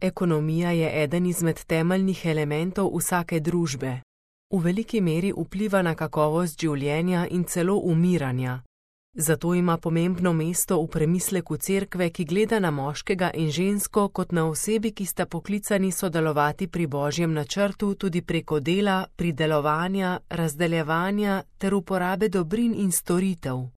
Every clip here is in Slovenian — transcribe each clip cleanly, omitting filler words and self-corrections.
Ekonomija je eden izmed temeljnih elementov vsake družbe. V veliki meri vpliva na kakovost življenja in celo umiranja. Zato ima pomembno mesto v premisleku cerkve, ki gleda na moškega in žensko kot na osebi, ki sta poklicani sodelovati pri Božjem načrtu tudi preko dela, pridelovanja, razdeljevanja ter uporabe dobrin in storitev.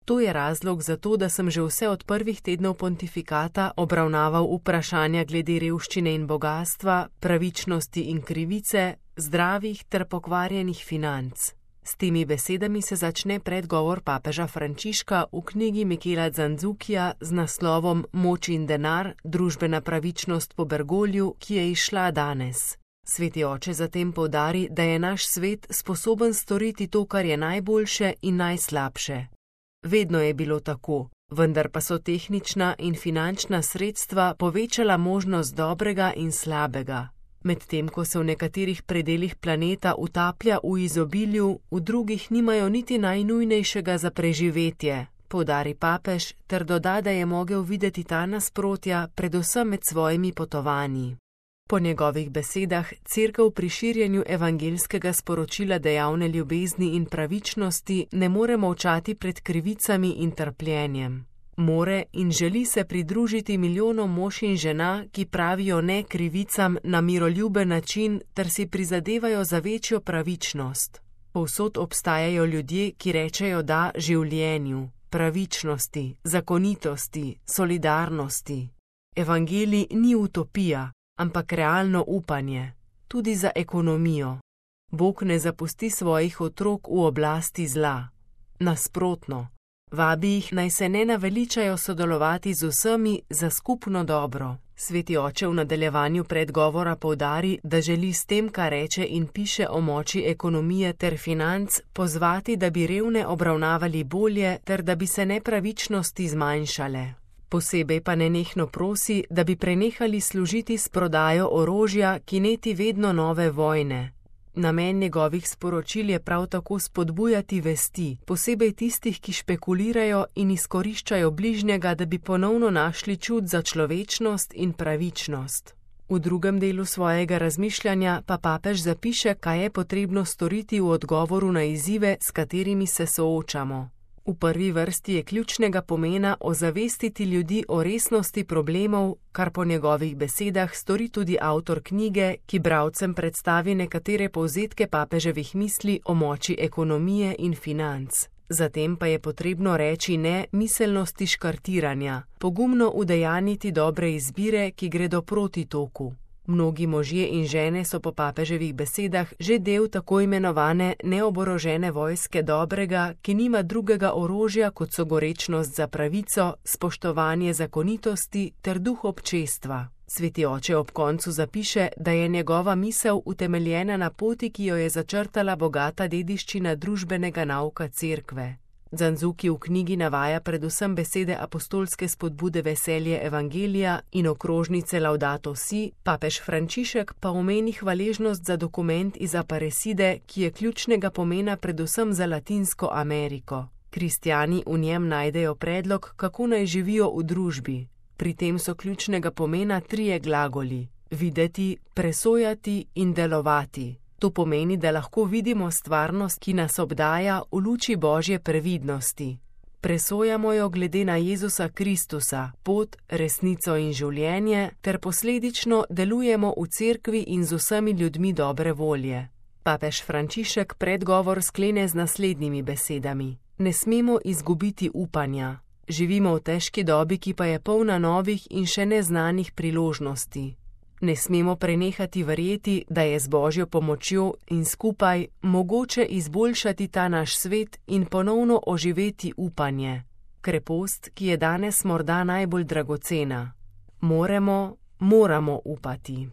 To je razlog za to, da sem že vse od prvih tednov pontifikata obravnaval vprašanja glede revščine in bogastva, pravičnosti in krivice, zdravih ter pokvarjenih financ. S temi besedami se začne predgovor papeža Frančiška v knjigi Michela Zanzukija z naslovom Moč in denar, družbena pravičnost po Bergogliju, ki je izšla danes. Sveti oče zatem poudari, da je naš svet sposoben storiti to, kar je najboljše in najslabše. Vedno je bilo tako, vendar pa so tehnična in finančna sredstva povečala možnost dobrega in slabega. Medtem ko se v nekaterih predelih planeta utaplja v izobilju, v drugih nimajo niti najnujnejšega za preživetje, poudari papež ter doda, da je mogel videti ta nasprotja predvsem med svojimi potovanji. Po njegovih besedah cerkev pri širjenju evangeljskega sporočila dejavne ljubezni in pravičnosti ne more molčati pred krivicami in trpljenjem. More in želi se pridružiti milijonom mož in žena, ki pravijo ne krivicam na miroljuben način ter si prizadevajo za večjo pravičnost. Povsod obstajajo ljudje, ki rečejo da življenju, pravičnosti, zakonitosti, solidarnosti. Evangelij ni utopija, ampak realno upanje, tudi za ekonomijo. Bog ne zapusti svojih otrok v oblasti zla. Nasprotno, vabi jih, naj se ne naveličajo sodelovati z vsemi za skupno dobro. Sveti oče v nadaljevanju predgovora poudari, da želi s tem, kar reče in piše o moči ekonomije ter financ, pozvati, da bi revne obravnavali bolje ter da bi se nepravičnosti zmanjšale. Posebej pa nenehno prosi, da bi prenehali služiti s prodajo orožja, ki neti vedno nove vojne. Namen njegovih sporočil je prav tako spodbujati vesti, posebej tistih, ki špekulirajo in izkoriščajo bližnjega, da bi ponovno našli čut za človečnost in pravičnost. V drugem delu svojega razmišljanja pa papež zapiše, kaj je potrebno storiti v odgovoru na izzive, s katerimi se soočamo. V prvi vrsti je ključnega pomena ozavestiti ljudi o resnosti problemov, kar po njegovih besedah stori tudi avtor knjige, ki bralcem predstavi nekatere povzetke papeževih misli o moči ekonomije in financ. Zatem pa je potrebno reči ne miselnosti škartiranja, pogumno udejaniti dobre izbire, ki gredo proti toku. Mnogi možje in žene so po papeževih besedah že del tako imenovane neoborožene vojske dobrega, ki nima drugega orožja kot so gorečnost za pravico, spoštovanje zakonitosti ter duh občestva. Sveti oče ob koncu zapiše, da je njegova misel utemeljena na poti, ki jo je začrtala bogata dediščina družbenega nauka cerkve. Zanzuki v knjigi navaja predvsem besede apostolske spodbude veselje evangelija in okrožnice Laudato si, papež Frančišek pa omeni hvaležnost za dokument iz Aparecide, ki je ključnega pomena predvsem za Latinsko Ameriko. Kristjani v njem najdejo predlog, kako naj živijo v družbi. Pri tem so ključnega pomena trije glagoli: videti, presojati in delovati. To pomeni, da lahko vidimo stvarnost, ki nas obdaja v luči Božje previdnosti. Presojamo jo glede na Jezusa Kristusa, pot, resnico in življenje, ter posledično delujemo v cerkvi in z vsemi ljudmi dobre volje. Papež Frančišek predgovor sklene z naslednjimi besedami: ne smemo izgubiti upanja. Živimo v težki dobi, ki pa je polna novih in še neznanih priložnosti. Ne smemo prenehati verjeti, da je z Božjo pomočjo in skupaj mogoče izboljšati ta naš svet in ponovno oživeti upanje. Krepost, ki je danes morda najbolj dragocena. Moramo upati.